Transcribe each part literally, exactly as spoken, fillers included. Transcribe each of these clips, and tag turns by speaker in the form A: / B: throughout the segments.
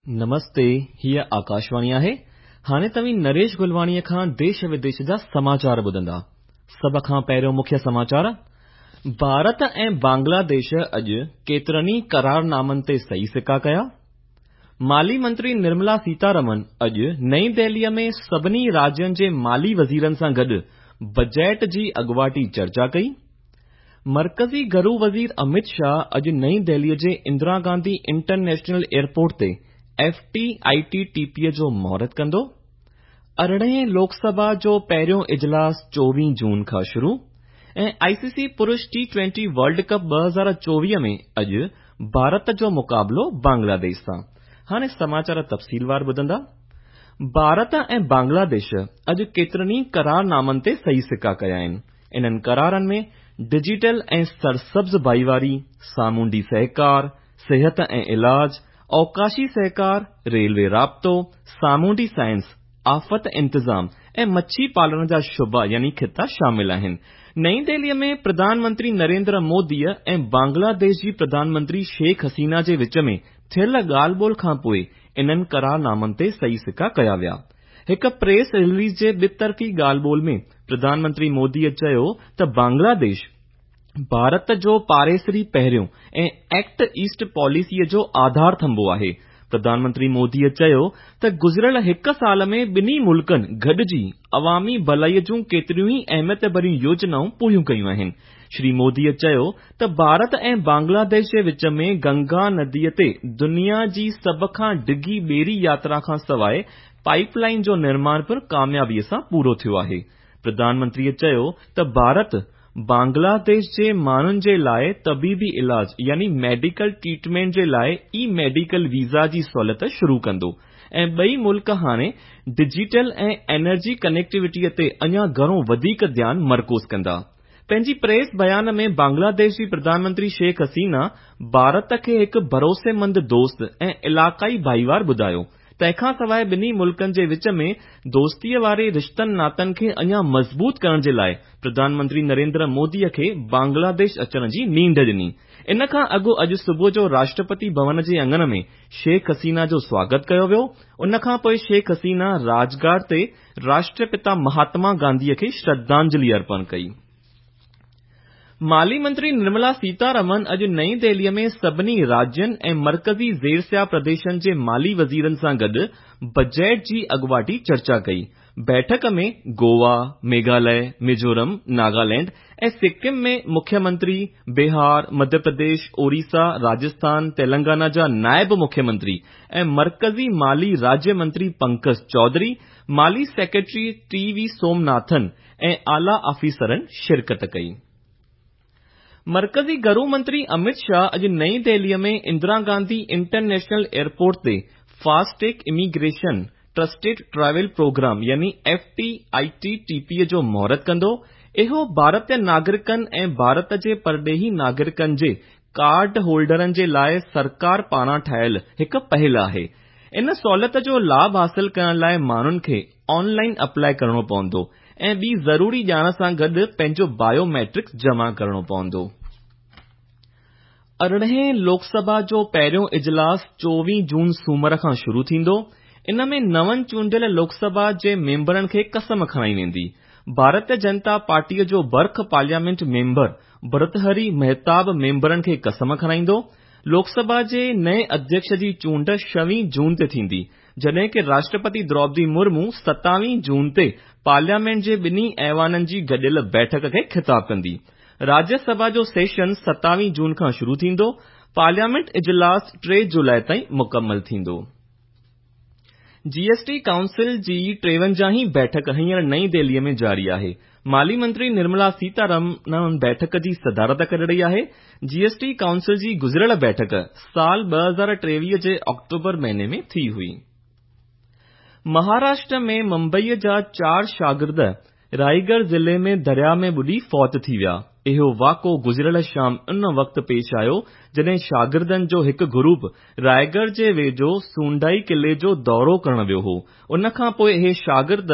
A: نمستي، هيءَ آڪاشواڻي آهي. هاڻي توهين نريش گلواڻيءَ کان ديش وديش جا سماچار ٻڌندا. سڀ کان پهريون مکيه سماچار. ڀارت ۽ بنگلاديش اڄ ڪيترن ئي قرارنامن تي صحيح سڪا ڪيا. مالي منتري نرملا سيتارمن اڄ نئين دهليءَ ۾ سڀني راجين جي مالي وزيرن سان گڏ بجيٽ جي اڳواٽي چرچا ڪئي. مرڪزي گهرو وزير امت شاهه اڄ نئين دهليءَ جي اندرا گانڌي انٽرنيشنل ايئرپورٽ تي F T I T T P جو مهورت ڪندو. ارڙهين لوڪ سڀا جو پهريون اجلاس چوويهه جون کان شروع ۽ آءِ سي سي پرش ٽي ٽوئنٽي ورلڊ ڪپ ٻه هزار چوويهه ۾ اڄ ڀارت جو مقابلو بنگلاديش سان. هاڻي سماچار تفصيلوار ٻڌندا. ڀارت ۽ بنگلاديش اڄ ڪيترن ئي قرارنامن تي صحيح سڪا ڪيا آهن. انهن قرارن ۾ ڊجيٽل ۽ سرسبز ڀائيواري، سامونڊي سهڪار، صحت ۽ علاج، اوڪاشي سهڪار، ريلوي رابطو، سامونڊي سائنس، آفت انتظام ۽ مڇي پالڻ جا شعبا يعني خطا شامل آهن. نئين دهليءَ ۾ پرڌان منتري نريندر موديءَ ۽ بنگلاديش جي پرڌان منتري شيخ حسينه جي وچ ۾ ٿيل ڳالهه ٻولهه کان پوءِ انهن قرارنامن تي صحيح سڪا ڪيا ويا. هڪ پريس رليز جي ٻطرفي ڳالهه ٻولهه ۾ پرڌان منتري موديءَ چيو ته بنگلاديش ڀارت جو پاڙيسري پهريون ۽ ايڪٽ ايسٽ پاليسيءَ جو آڌار ٿنڀو آهي. پرڌان منتري موديءَ چيو ته گذريل هڪ سال ۾ ٻنهي ملڪن گڏجي عوامي ڀلائيءَ جون ڪيتريون ئي اهميت ڀريون يوجنائون پوريون ڪيون آهن. شري موديءَ چيو ته ڀارت ۽ بنگلاديش جي وچ ۾ گنگا نديءَ تي دنيا جي سڀ کان ڊگهي ٻيڙي ياترا کان سواءِ پائپ لائن جو نرماڻ پڻ ڪاميابيءَ سان پورو ٿيو آهي. پرڌان منتريءَ چيو ته ڀارت بنگلاديش جي ماڻهن جي لاءِ طبيبي علاج يعني ميڊيڪل ٽريٽمينٽ جي لاءِ اي ميڊيڪل ويزا جي سهوليت شروع ڪندو ۽ ٻئي ملڪ هاڻي ڊجيٽل ۽ انرجي ڪنيڪٽيوٽيءَ تي اڃا گهڻو وڌيڪ ڌيان مرڪوز ڪندا. پنهنجي پريس بيان ۾ بنگلاديش جي پرڌان منتري شيخ حسينه ڀارت کي هڪ ڀروسيمند دوست ۽ علائقائي ڀائيوار ٻڌايو. تنهن کان سواءِ ٻنهي ملڪن جي وچ ۾ دوستيءَ واري رشتن ناتن کي اڃا مضبوط ڪرڻ جي لاءِ پرڌان منتري نريندر موديءَ کي بنگلاديش اچڻ جي نينڍ ڏني. ان کان اڳ اڄ صبح جو راشٽرپتي ڀون جي اڱڻ ۾ شيخ حسينه جو سواگت ڪيو ويو. ان کان پوءِ شيخ حسينه راجگهاٽ تي راشٽرپتا مهاتما گانڌيءَ کي شرڌانجلي ارپڻ ڪئي. مالي منتري نرملا سيتارمن اڄ نئين دهليءَ ۾ سڀني راجين ۽ مرڪزي زيرسيا پرديشن جي مالي وزيرن سان گڏ بجيٽ جي اڳواٽي چرچا ڪئي. بيٺڪ ۾ گوا، ميگهاليه، ميزورم، ناگالينڊ ۽ سڪم ۾ مکيه منتري، بهار، مڌيه پرديش، اوڙيسا، راجسٿان، تيلنگانا جا نائب مکيه منتري ۽ مرڪزي مالي راجيه منتري پنڪج چوڌري، مالي سيڪريٽري ٽي وي سومناٿن ۽ اعليٰ آفيسرن شرڪت ڪئي. مرڪزي گهرو منتري امت شاهه اڄ نئين دهليءَ ۾ اندرا گانڌي انٽرنيشنل ايئرپورٽ تي FASTag immigration trusted travel programme يعني F T I T T P جو مهورت ڪندو. اهو ڀارتيه ناگرڪن ۽ ڀارت جي پرڏيهي ناگرڪن جي ڪارڊ هولڊرن جي لاءِ سرڪار پاران ٺاهيل هڪ پهل آهي. ان سهوليت جو لاڀ حاصل ڪرڻ لاءِ ماڻهن کي آنلائن اپلائي ڪرڻو پوندو ۽ ٻي ضروري ڄاڻ سان گڏ پنهنجو بايوميٽرڪس جمع ڪرڻو پوندو. ارڙهين لوڪ سڀا جو پهريون اجلاس چوويهه جون سومر کان شروع ٿيندو. ان ۾ نون چونڊيل لوڪ سڀا جي ميمبرن کي قسم کڻائي ويندي. ڀارتيه جنتا پارٽيءَ جو برک پارليامينٽ ميمبر ڀرتهري مهتاب ميمبرن کي قسم کڻائيندو. لوڪ سڀا جي نئين اڌيڪش جي چونڊ ڇويهه جون تي ٿيندي، جڏهن ڪه راشٽرپتي دروپدي مرمو ستاويهه جون تي پارليامينٽ جي ٻنهي ايوانن جي گڏيل بيٺڪ کي خطاب ڪندي. راجيه سڀا جو سيشن ستاويهه جون کان شروع ٿيندو. پارليامينٽ اجلاس ٽي جولاءِ تائين مڪمل ٿيندو. جي ايس ٽي ڪائونسل جي ٽيونجاهين بيٺڪ هينئر نئين دهليءَ ۾ جاري آهي. مالي منتري نرملا سيتارمن بيٺڪ جي صدارت ڪري رهي آهي. جي ايس ٽي ڪائونسل جي گذريل بيٺڪ سال ٻه هزار ٽيويهه جي آڪٽوبر مهيني ۾ ٿي هئي. مهاراشٽر ۾ ممبئيءَ جا چار شاگرد رائيڳڙهه ضلعي ۾ درياهه ۾ ٻڏي فوت ٿي ويا. اهو واقعو گذريل شام ان وقت پيش آيو جڏهن شاگردن جو هڪ گروپ رائيڳڙهه جي ويجهو سونڊائي قلعي جو دورو ڪرڻ ويو هو. ان کان پوءِ اهي شاگرد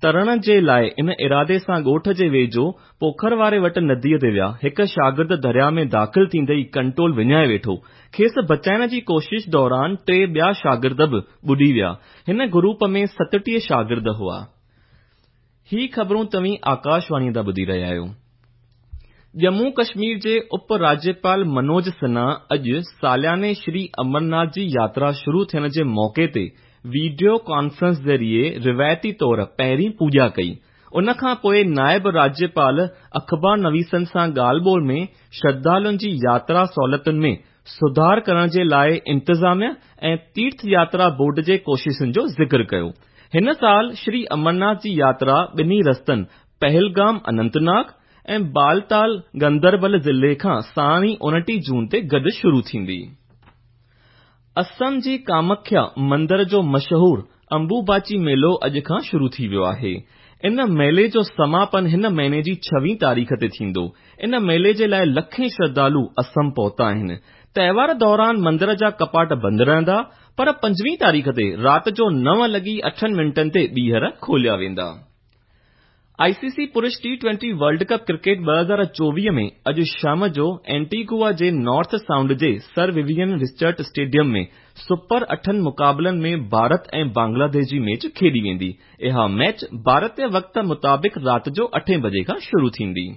A: ترڻ جي لاءِ ان ارادي سان ڳوٺ جي ويجهو پوکر واري وٽ نديءَ تي ويا. هڪ شاگرد درياهه ۾ داخل ٿيندي ئي ڪنٽرول وڃائي ويٺو. کيس بچائڻ جي ڪوشش دوران ٽي ٻيا شاگرد به ٻڏي ويا. هن گروپ ۾ ستٽيهه شاگرد هئا. هي خبرون توهين آڪاشواڻيءَ تان ٻڌي رهيا آهيو. ڄمون ڪشمير جي اپ راجيپال منوج سنها اڄ سالياني شري امرناٿ جي ياترا شروع ٿيڻ جي موقعي تي وڊيو ڪانفرنس ذريعي روايتي طور پهرين پوڄا ڪئي. ان کان پوءِ نائب راجيپال اخبار نويسن سان ڳالهه ٻولهه ۾ شرڌالن جي ياترا سهولتن ۾ سڌار ڪرڻ جي لاءِ انتظاميا ۽ تيرٿ ياترا بورڊ جي ڪوششن جو ذڪر ڪيو. هن سال شري امرناٿ جي ياترا ٻنهي رستن پهلگام اننت ناگ ۽ بالتال گندربل ضلعي کان ساڻ ئي اڻٽيهه جون تي گڏ شروع ٿيندي. اسم جي ڪامکيا مندر جو مشهور امبوباچي ميلو اڄ کان شروع ٿي ويو آهي. ان ميلي جو سماپن هن مهيني جي ڇويهه تاريخ تي ٿيندو. ان ميلي جي لاءِ لکين شرڌالو اسم پهتا آهن. تهوار دوران مندر جا ڪپاٽ بند رهندا، پر پنجويهه تاريخ تي رات جو نو لڳي اٺن منٽن تي ٻيهر کوليا ويندا. آءِ سي سي پرش T twenty world cup cricket ٻه هزار چوويهه ۾ اڄ شام جو اينٽيگوا جي نارٿ سائونڊ جي سر ووين رچرڊ اسٽيڊيم ۾ سپر اٺن مقابلن ۾ ڀارت ۽ بنگلاديش جي ميچ کيڏي ويندي. اها ميچ ڀارتي وقت مطابق رات جو اٺين بجي کان شروع ٿيندي.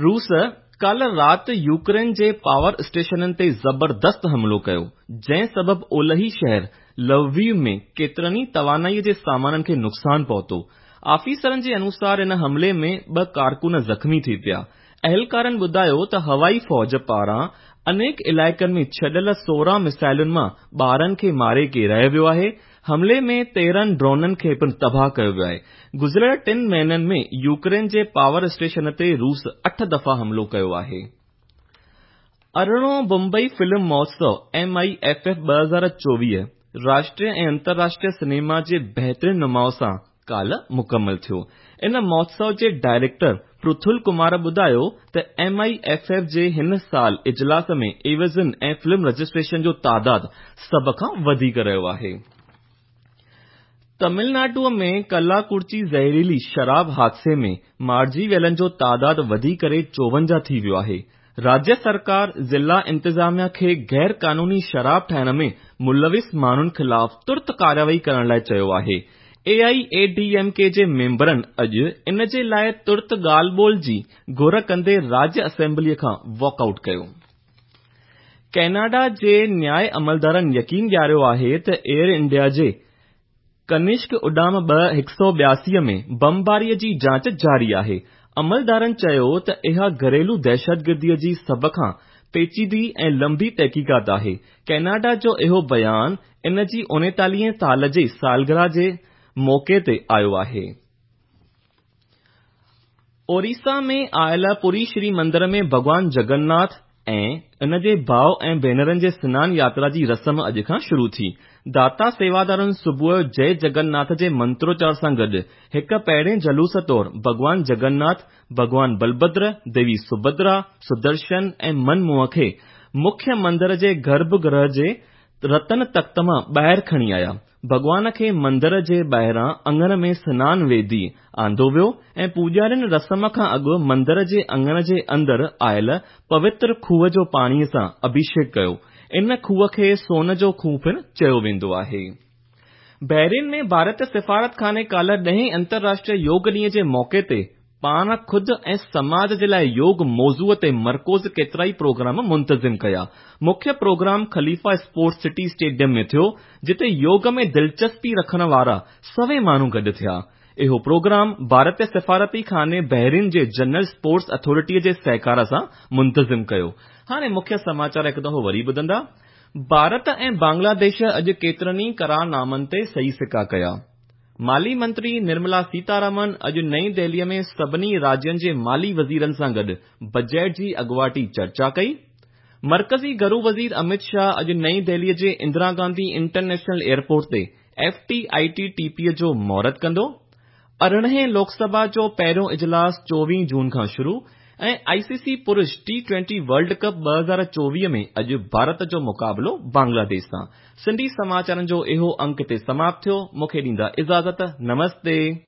A: روس ڪالهه رات يوڪرين جي پاور اسٽيشنن تي زبردست حملو ڪيو، جنهن سبب اولهي شهر لوويو ۾ ڪيترن ئي توانائي جي سامانن کي نقصان پهتو. آفيسرن جي انوسار ان حملي ۾ ٻه ڪارڪن زخمي ٿي پيا. اهلڪارن ٻڌايو ته هوائي فوج پاران انيڪ علائقن ۾ ڇڏيل سورهن مسائلن مان ٻارهن کي ماري ڪيرايو ويو آهي. حملي ۾ تيرهن ڊرونن کي پڻ تباهه ڪيو ويو آهي. گذريل ٽن مهينن ۾ يوڪرين جي پاور اسٽيشن تي روس اٺ دفعا حملو ڪيو آهي. ارڙهون بمبئي فلم مهوتسو ايم I F F ٻه هزار چوويهه راشٽريه ۽ انترراشٽريه سئنيما جي بهترين نماءُ سان ڪالهه مڪمل ٿيو. ان مهوتسو جي ڊائريڪٽر پرٿل ڪمار ٻڌايو ته ايم I F F جي هن سال اجلاس ۾ عيوضين ۽ فلم رجسٽريشن جو تعداد سڀ کان وڌيڪ رهيو آهي. تامل ناڊوءَ ۾ ڪلاڪورچي زهريلي شراب حادثي ۾ مارجي ويلن جو تعداد وڌي ڪري چوونجاهه ٿي ويو آهي. راجيه سرڪار ضلع انتظاميا کي غير قانوني شراب ٺاهڻ ۾ ملوث ماڻهن خلاف ترت ڪارروائي ڪرڻ لاءِ چيو آهي. اي I A D M K جي ميمبرن اڄ ان جي لاءِ ترت ڳالهه ٻولهه جي گهر ڪندي راجيه اسيمبليءَ کان واڪ آئوٽ ڪيو. ڪئناڊا جي نياءِ عملدارن يقين ڏياريو آهي ته ايئر انڊيا جي ڪنشڪ اڏام ٻه هڪ سؤ ٻياسي ۾ بمباريءَ جي جاچ جاري آهي. عملدارن چيو ته اها گهريلو دهشتگرديءَ جي سڀ کان پيچيدي ۽ لمبي تحقيقات آهي. ڪئناڊا جو اهو بيان ان جي اڻيتاليهين سال جي سالگرهه جي موقعي تي آيو آهي. اوريسا ۾ آيل پوري شري مندر ۾ ڀڳوان جگناٿ ۽ ان جي ڀاءُ ۽ ڀينرن جي سنان ياترا جي رسم اڄ کان شروع ٿي. داتا سيوادارن صبح جو جئي جگناٿ جي منتروچار سان گڏ هڪ پهرين جلوس طور ڀڳوان جگناٿ، ڀڳوان بلڀدر، ديوي سڀدرا، سدرشن ۽ منموهن کي مکيه مندر جي گرڀ گرهه جي رتن تخت مان ٻاهر کڻي آيا. ڀڳوان کي مندر جي ٻاهران اڱڻ ۾ سنان ويدي آندو ويو ۽ پوڄارين رسم کان اڳ مندر جي اڱڻ جي اندر آيل پوتر کوهه جو پاڻيءَ سان اڀشيڪ ڪيو. ان کوهه کي سون جو کوهه پڻ چيو ويندو آهي. بحرين ۾ ڀارتي سفارتخاني ڪالهه ڏهين انترراشٽريه يوگ ڏينهن جي موقعي تي پاڻ خود ۽ سماج جي لاءِ يوگ موضوع تي مرڪوز ڪيترائي پروگرام منتظم ڪيا. مکيه پروگرام خليفه اسپورٽس سٽي اسٽيڊيم ۾ ٿيو، جتي يوگ ۾ دلچسپي رکڻ وارا سوين ماڻهو گڏ ٿيا. اهو پروگرام ڀارتي سفارتي خاني بحرين جي جنرل اسپورٽس اٿارٽيءَ جي سهڪار سان منتظم ڪيو. هاڻي مکيه سماچار هڪ دفعو وري ٻڌندا. ڀارت ۽ بنگلاديش اڄ ڪيترن ئي قرارنامن تي صحيح سڪا ڪيا. مالي منتري نرملا سيتارامن اڄ نئين دهليءَ ۾ سڀني راجين جي مالي وزيرن سان گڏ بجيٽ جي اڳواٽي چرچا ڪئي. مرڪزي گهرو وزير امت شاهه اڄ نئين دهليءَ جي اندرا گانڌي انٽرنيشنل ايئرپورٽ تي F T I T T P جو مهورت ڪندو. ارڙهين لوڪ سڀا جو پهريون اجلاس چوويهه جون کان شروع. ۽ I سي سي پرش ٽي ٽوئنٽي ورلڊ ڪپ ٻه هزار چوويهه ۾ اڄ ڀارت جو مقابلو بنگلاديش سان. سنڌي سماچارن جو اهو انڪ هتي سماپت ٿيو. مون کي ڏيندا اجازت. نمستي.